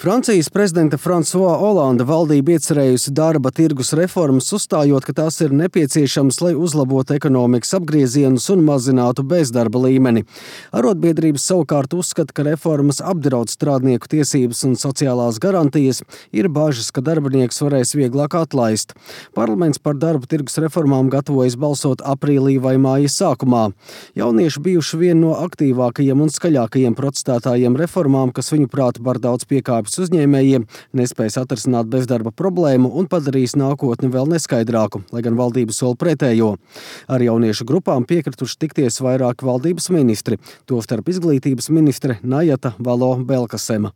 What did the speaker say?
Francijas prezidenta François Hollande valdība iecerējusi darba tirgus reformas, uzstājot, ka tās ir nepieciešamas, lai uzlabotu ekonomikas apgriezienus un mazinātu bezdarba līmeni. Arotbiedrības savukārt uzskata, ka reformas apdraud strādnieku tiesības un sociālās garantijas, ir bažas, ka darbinieks varēs vieglāk atlaist. Parlaments par darba tirgus reformām gatavojas balsot aprīlī vai māja sākumā. Jaunieši bijuši vieni no aktīvākajiem un skaļākajiem protestētājiem reformām, kas viņuprāt par daudz piekāpjas uzņēmējiem, nespējas atrisināt bezdarba problēmu un padarīs nākotni vēl neskaidrāku, lai gan valdība sola pretējo. Ar jauniešu grupām piekrituši tikties vairāki valdības ministri, tostarp izglītības ministre Najata Valo-Belkasema.